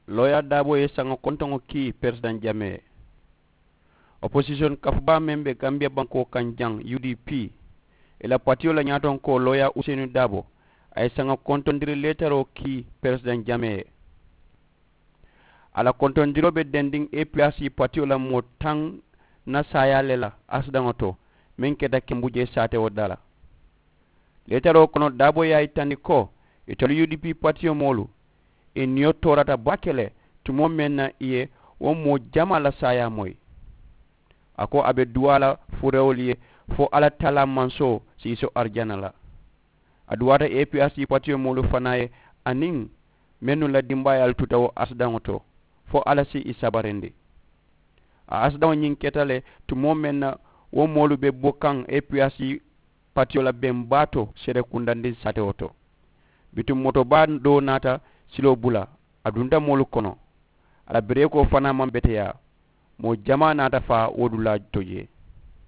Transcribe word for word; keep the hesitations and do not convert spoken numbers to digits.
Looyaa daaboo ye saŋo kontoŋo kii peresidaŋ jamee ye. Oposisiyoŋ kafubaa meŋ be gambiya bankoo kaŋ jaŋ, u d p, ì la patiyo la ñaatonkoo looyaa useyinu daaboo, a ye saŋo kontondiri leetaroo kii peresidaŋ jamee ye. A la kontondiroo be dendiŋ a p r c patiyo la moo taŋ na saayaa le la asidaŋo to, meŋ keta kembujee saatewo daa la. Leetaroo kono daaboo ye a yitandi ko itelu u d p patiyo moolu, ì niyo toorata baake le tumoo meŋ na ì ye wo moo jamaa la saayaa moyi. A ko a be duwaa la furewolu ye fo alla taalaa mansoo siiso arijana la. A duwaata a p r c patiyo moolu fanaa ye, aniŋ mennu la dimbaayaalu tuta wo asidaŋo to, fo alla si ì sabarindi. A asidaŋo ñiŋ keta le tumoo meŋ na wo moolu be bo kaŋ a p r c patiyo la beŋ baa to seede kundandiŋ saatewo to. Bituŋ moto baa doo naata siloo bula, a dunta moolu kono. A la bereekoo fanaa maŋ beteyaa. Moo jamaa naata faa wo dulaa to jee.